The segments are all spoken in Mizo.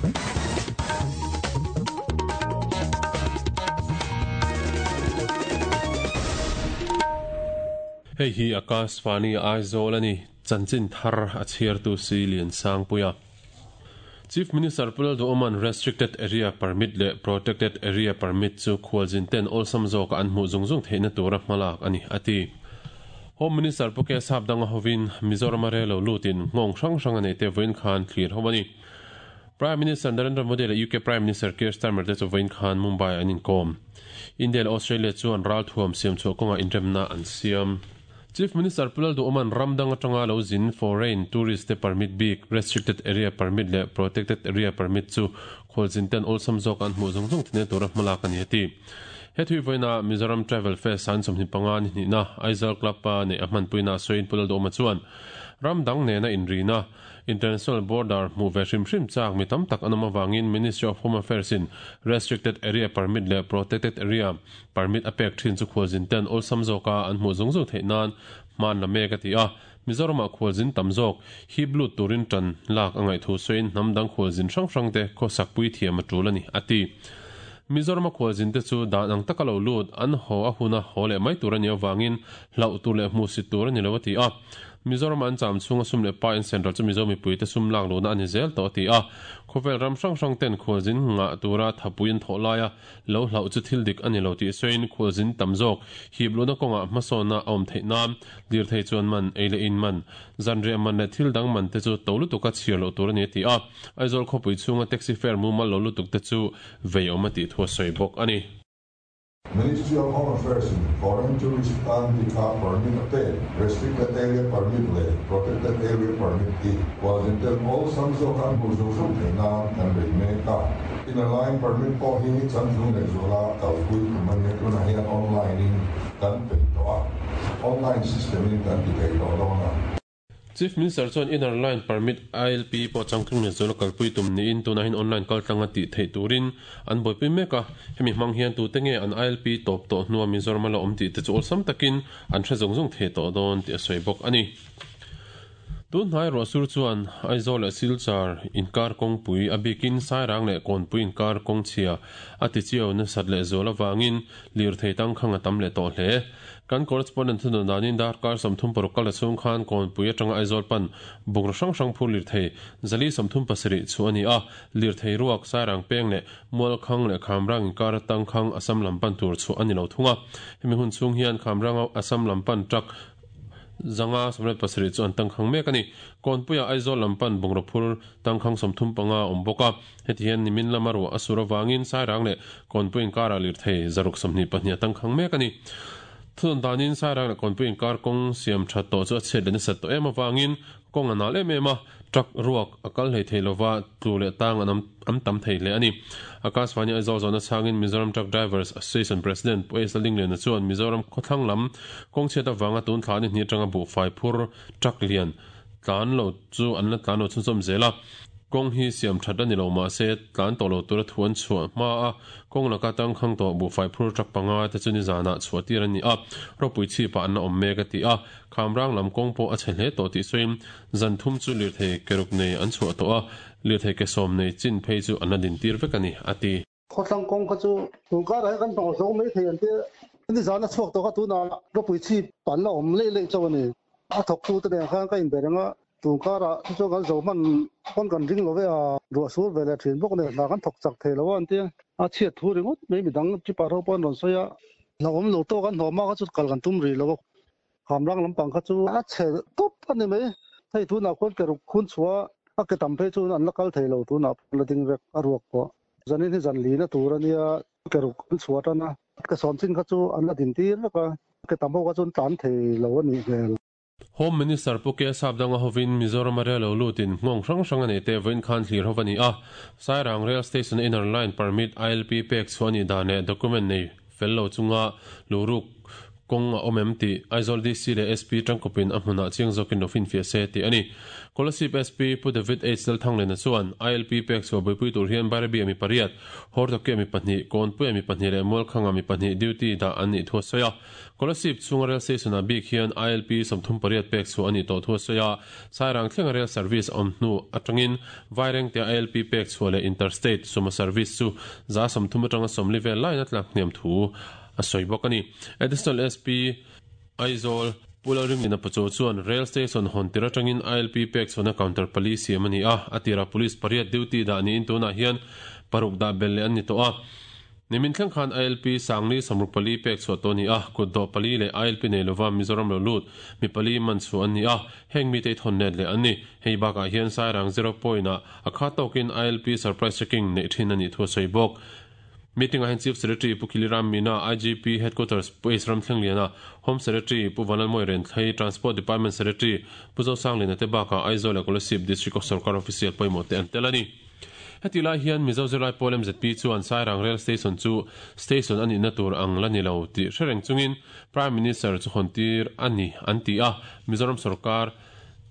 Hei hi Akashvani Aizawl a ni, chanchin thar a chhiartu si Liansangpuia. Chief Minister Pu Lalduhoma'n Restricted Area Permit leh Protected Area Permit chu khualzin ten awlsam zawka an hmuh zung zung theihna tura hmalak a ni, a ti. Home Minister Pu K Sapdanga hovin Mizorama rel lo lutin nghawng hrang hrang a neih te vawiin khan thlir ho a ni. Prime Minister Narendra Modi leh UK Prime Minister Keir Starmer te chu vawiin khan Mumbai an inkawm. India leh Australia chuan ralthuam siamchhuah kawngah inremna an siam. Chief Minister Pu Lalduhoma'n ram dang atanga lo zin foreign tourist te permit bik, Restricted Area Permit leh Protected Area Permit chu khualzin ten awlsam zawk an hmuh zung zung thine tura hmalak a ni a ti. He thui vawiina Mizoram Travel Fest an 25 ni hnihna Aizawl Club-a neih a hmanpuina sawiin Pu Lalduhoma chuan ram dang nena inrina International border hmuh ve hrim hrim chak mi tam tak an awm avangin Ministry of Home Affairs in Restricted Area Permit leh Protected Area Permit a pek thin chu khualzin ten awlsam zawka an hmuh zung zung theih nan hman la mek a ti a. Mizoramah khualzin tam zawk hip lut turin tan lak a ngaih thu sawiin hnam dang khualzin hrang hrang te khawsak pui thiam a tul a ni, a ti. Mizorama khualzin te chu dan ang taka lo lut an haw a huna haw leh mai tur a nih avangin hlauh tur leh hmuhsit tur a ni lo a ti a. Mizoram an cham chhunga sum leh pa in central chu Mizo mipuite sum lak luhna a ni zel tawh a ti a. Khawvel ram hrang hrang ten khualzin ngah tura thapui an thawh laia lo hlauh chu thil dik a ni lo tih sawiin khualzin tam zawk hip luhna kawngah hmasawnna a awm theih nan lirthei chuan man, ei leh in man, zanriah man leh thil dang man te chu to lutuka chhiar loh tur a ni a ti a. Aizawl khawpui chhunga taxi fare mumal lo lutuk te chu vei awm a tih thu a sawi bawk a ni. Ministry of Home Affairs in foreign tourist tan bika permit a pek, Restricted Area Permit leh Protected Area Permit hi khualzin ten awlsam zawk an hmuh zung zung theih nan kan bei mek a. Inner Line Permit pawh hi changtlung leh zuala kalpui tum a nia, tunah hian online in kan peih tawh a, online system in kan ti thei tawh dawn a. Chief Minister chuan Inner Line Permit, ILP, pawh changtlung leh zuala kalpui tum niin tunah hian online kaltlanga tih theih turin an buaipui mek a, hemi hmang hian tute nge an ILP tawp tawh hnua Mizoram a la awm tih te chu awlsam takin an hre zung zung thei tawh dawn tih a sawi bawk a ni. Tun hnai ruahsur chuan Aizawl leh Silchar inkar kawngpui a bikin Sairang leh Kawnpui inkar kawngchhia a tichiau nasat leh zual avangin lirthei tangkhang a tam leh tawh hle. Kan correspondent thunun danin darkar 36 kal chhung khan Kawnpui atanga Aizawl pan bungraw hrang hrang phur lirthei zali 37 chu a ni a, lirthei ruak Sairang peng leh Mualkhang leh Khamrang inkar atang khang Assam lam pan tur chhuah a ni lo thung a. Hemi hun chhung hian Khamranga Assam lam pan truck 597 chu an tangkhang mek a ni. Kawnpuia Aizawl lam pan bungraw phur tangkhang 35 a awm bawk a. Heti hian nimin lama ruah a sur avangin Sairang leh Kawnpui inkarah lirthei 622 a tangkhang mek a ni. Thunawn danin Sairang leh Kawnpui inkar kawng siam that tawh chu a chhiat leh nasat tawh em avangin kawng a nal em em a, truck ruak a kal hlei thei lova tlu leh tang an am tam thei hle a ni. Akashvani Aizawl zawhna chhangin Mizoram Truck Drivers Association President Pu Ace Lallingliana chuan Mizoram khawthlang lam kawng chhiat avanga tun thla ni hnih atanga buhfai phur truck lian tlan lo chu an la tlan lo chhunzawm zel a, kawng hi siam that a ni lo mahse tlan tawh lo tura thu an chhuah hma a, kawng laka tangkhang tawh buhfai phur truck panga te chu nizanah chhuah tir a ni a, ropui chhipah an la awm mek a ti a, Khamrang lam kawng pawh a chhe hle tawh tih sawiin zan thum chu lirthei ke ruk nei an chhuah tawh a, lirthei ke sawm nei chin phei chu an la din tir vek a ni, a ti. Khawthlang kawng kha chu tun karah hian kan hnawh zo mai thei an tia, nizan a chhuak tawh kha tunah ropui chhip an la awm leih leih chauh a ni. A thawktute nen khan ka inbe reng a, tun karah chu chuan kan zo hman pawn kan ring lo ve a, ruah sur ve leh thin bawk nen hna kan thawk chak thei lo a an tia, a chhiat thu ringawt mai midang trip-ah ho pawh an rawn sawi a, hlauhawm lo tawk an hnawh hma kha chu kal kan tum rih lo a. Khamrang lampang kha chu a chhe tawp a ni mai. Hei tunah khuan ke ruk khun chhuah a ke tam phei chu an la kal thei lo tunah pawh la ding vek a ruak pawh. Zanin hi zan lina tur a nia ke ruk an chhuah tan a, ke sawm chin kha chu an la din tir vek a, ke tam ho kha chu an tlan thei lo a nih hmel. Home Minister Pu K Sapdanga hovin Mizoram a rel lo lutin nghawng hrang hrang a nei te vawiin khan thlir ho a ni a. Sairang Rail Station Inner Line Permit, ILP, pek chhuah a nih dan leh document nei fel lo chunga luhruk Kawng a awm em tih Aizawl DC leh SP tangkawpin a hmunah chiang zawkin lo finfiah se tih a ni. Kolasib SP Pu David H Lalthanglena chuan ILP pek chhuah buaipui tur hian Bairabi-a mi pariat, Hortokia mi pahnih, Kawnpuia mi pahnih leh Mualkhanga mi pahnih duty dah an nih thu a sawi a. Kolasib chhunga rail station-ah bik hian ILP 38 pek chhuah a nih tawh thu a sawi a. Sairang thlenga rail service a awm hnu atangin Vairengtea ILP pek chhuah leh Interstate sumo service chu 30% atanga 40 vel laiin a tlak hniam thu a sawi bawk a ni. Additional SP, Aizawl, Pu Lalringlina Pachaw chuan Rail Station hawn tir atangin ILP pek chhuahna counter pali siam a ni a, a tirah Police pariat duty dah niin tunah hian paruk dah belh leh an ni tawh a. Nimin thleng khan ILP sangli 64 pek chhuah tawh a ni a, kutdawh pali leh ILP nei lova Mizoram lo lut mi pali man chhuah an ni a, heng mite i thawn let leh an ni. Hei bakah hian Sairang Zero Point-ah a kha tawkin ILP surprise checking neih thin a nih thu a sawi bawk. Meeting-ah hian Chief Secretary Pu Khiliram Meena, IGP Headquarters Pu Ace Ramthlengliana, Home Secretary Pu Vanlalmawi Renthlei, Transport Department Secretary Pu Zosangliana te bakah Aizawl leh Kolasib District of Sorkar Official pawimawh te an tel a ni. Heti lai hian Mizo zirlai pawl mzp chuan Sairang Rail Station chu station a nihna tur ang la ni lo tih hre reng chungin Prime Minister chu hawntir a ni an ti a, Mizoram sorkar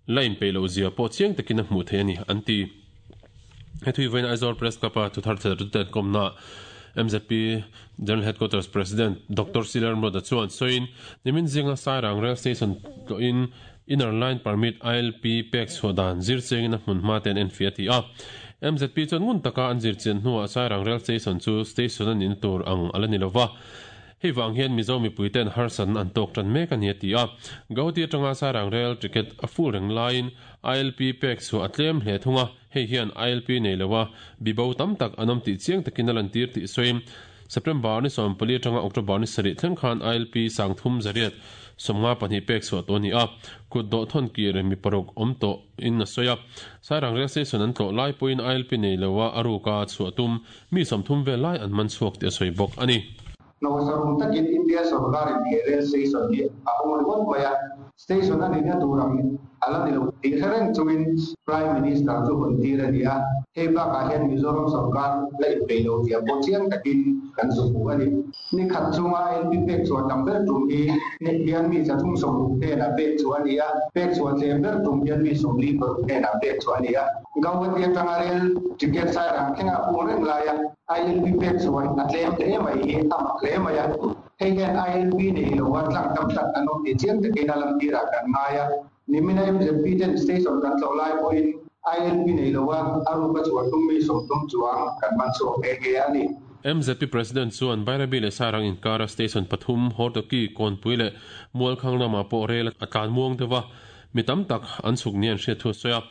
la inpeih loh zia pawh chiang takin a hmuh theih a ni an ti. He thui vawiin Aizawl Press Club-a thuthar thlalatu kawmna mzp General Headquarters President Doctor C Lalramruata chuan sawiin nimin zinga Sairang Rail Station tlawhin Inner Line Permit, ILP, pek chhuah dan zir chengin a hmun hma te an enfiah a ti a. Mzp chuan ngun taka an zir chian hnuah Sairang Rail Station chu station a nihna tur ang a la ni lova, Hei vang hian Mizo mipuite'n harsatna an tawk tan mek a ni a ti a. Gauhati atanga Sairang Rail ticket a full reng laiin ILP pek chhuah a tlem hle thung a, hei hian ILP nei loa bibo tam tak an awm tih chiang takin a lantir tih sawiin September ni 14 atanga October ni sarih thleng khan ILP 3352 pek chhuah tawh a ni a, kut dawh thawn kir mi paruk awm tawh in a sawi a. Sairang Rail Station an tlawh lai pawhin ILP nei loa a ruka chhuah tum Mi 30 vel lai an man chhuak tih a sawi bawk a ni. Hnawhsarum takin India sorkarin he rail station hi a hawng ringawt mai a, station a nihna tur ang a la ni lo tih hre reng chungin Prime Minister chu hawn tir a ni a, hei bakah hian Mizoram sorkar la inpeih lo zia pawh chiang takin kan zu hmu a ni. Ni khat chunga NP pek chhuah tam ber tum hi hian mi 360 hnenah pek chhuah a ni a, pek chhuah tlem ber tum hian mi 46 hnenah pek chhuah a ni a. Gauhati atanga rel ticket Sairang thlengah pung reng laia ILP pek chhuah a tlem hle mai hi a mak hle mai a. Hei hian ILP nei loa tlang tam tak an awm tih chiang takin a lamtirah kan ngai a. Nimina MZP ten station kan tlawh lai pawhin ILP nei loa a ruka chhuah tum mi 30 chuang kan man chhuak nghe nghe a ni. MZP President chuan Bairabi leh Sairang inkara station pathum, Hortoki, Kawnpui leh Mualkhang lamah pawh rel a tlan muang deuh a, Mi tam tak an chhuk nia an hriat thu a sawi a.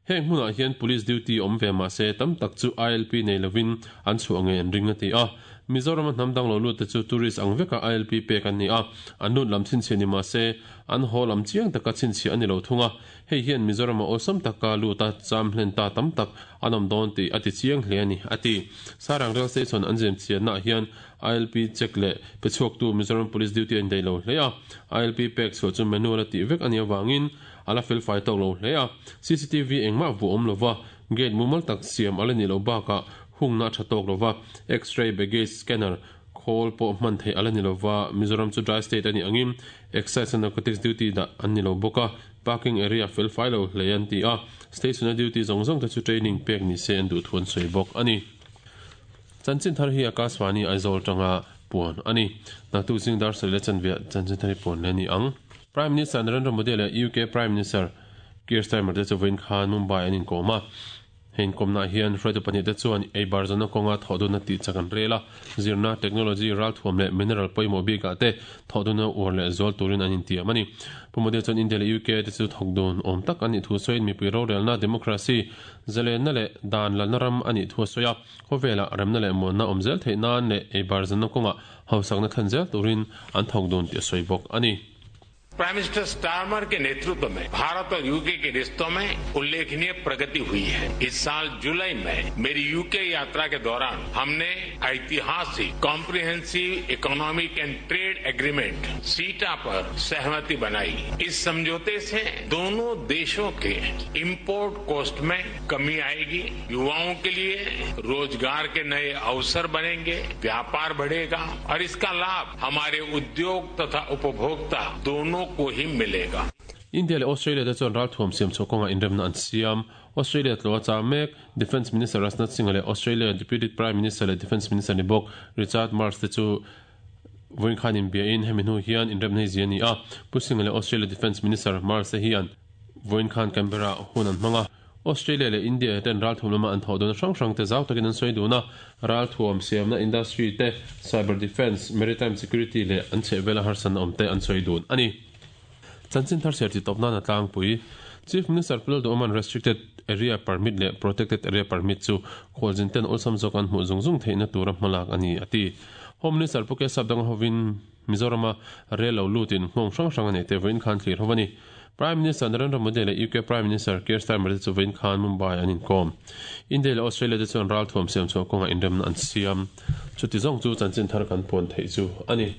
Heng hmunah hian Police duty awm ve mah se tam tak chu ILP nei lovin an chhuah ngei an ring a ti a. Mizorama hnam dang lo lut te chu tourist ang veka ILP pek an ni a, an lut lam chhinchhiah ni mah se an haw lam chiang taka chhinchhiah a ni lo thung a. Hei hian Mizorama awlsam taka lut a cham hlen ta tam tak an awm dawn tih a ti chiang hle a ni, a ti. Sairang Rail Station an zem chiannaah hian ILP check leh pe chhuaktu Mizoram Police duty a indaih lo hle a, ILP pek chhuah chu manual a tih vek a nih avangin a la felfai tawk lo hle a, CCTV engmah vuah awm lova, gate mumal tak siam a la nih loh bakah hungna a tha tawk lova, X-ray baggage scanner khawl pawh hman theih a la ni lova, Mizoram chu dry state a nih angin Excise and Narcotics duty dah an ni lo bawk a, parking area felfai lo hle an ti a, station a duty zawng zawng te chu training pek ni se an duh thu an sawi bawk a ni. Chanchin thar hi Akashvani Aizawl tanga puan a ni. Naktuk zing dar sarih leh chanve chanchin thar hi puan leh a ni ang. Prime Minister Narendra Modi leh UK Prime Minister Keir Starmer te chu vawiin khan Mumbai an inkawm a. He inkawmnaah hian hruaitu pahnih te chuan ei bar zawhna kawnga thawhdunna tih chak an rel a, zirna, technology, ralthuam leh mineral pawimawh bikah te thawhdunna uar leh zual turin an intiam a ni. Pu Modi chuan India leh UK te chu thawkdun awm tak an nih thu sawiin mipui rorelna, democracy, zalenna leh dan lalna ram a nih thu a sawi a. Khawvelah remna leh muanna awm zel theih nan leh ei bar zanna kawngah hausakna thlen zel turin an thawk dun tih a sawi bawk a ni. Prime minister Starmer के नेतृत्व में भारत और यूके के रिश्तों में उल्लेखनीय प्रगति हुई है। इस साल जुलाई में मेरी यूके यात्रा के दौरान हमने ऐतिहासिक comprehensive economic and trade agreement CETA पर सहमति बनाई। इस समझौते से दोनों देशों के इम्पोर्ट कॉस्ट में कमी आएगी, युवाओं के लिए रोजगार के नए अवसर बनेंगे, व्यापार बढ़ेगा और इसका लाभ हमारे उद्योग तथा उपभोक्ता दोनों को ही मिलेगा। India leh Australia te chuan ralthuam siam chhuah kawngah inremna an siam. Australia tlawh a chah mek. Defence Minister Rajnath Singh leh Australia Deputy Prime Minister leh Defence Minister ni bawk Richard Marles te chu vawiin khan inbiahin hemi hnu hian inremna hi zia a ni a. Pu Singh leh Australia Defence Minister Marles te hian vawiin khan Canberra hun an hmang a. Australia leh India ten ralthuam lama an thawh duna hrang hrang te zau takin an sawi dun a. Ralthuam siamna industry te, cyber defence, maritime security leh an chhehvela harsatna awm te an sawi dun a ni. Chanchin thar ser chi tawp nana tlangpui Chief Minister Pu Lalduhawma'n Restricted Area Permit leh Protected Area Permit chu khualzin ten awlsam zawk an hmuh zung zung theihna tura hmalak a ni, a ti. Home Minister Pu Kesap danga hovin Mizorama rel lo lutin nghawng hrang hrang a neih te vawiin khan thlir ho a ni. Prime Minister Narendra Modi leh UK Prime Minister Keir Starmer te chu vawiin khan Mumbai an inkawm. India leh Australia te chuan ralthuam siam chhuah kawngah inremna an siam. Chuti zawng chu chanchin thar kan puan theih chu a ni.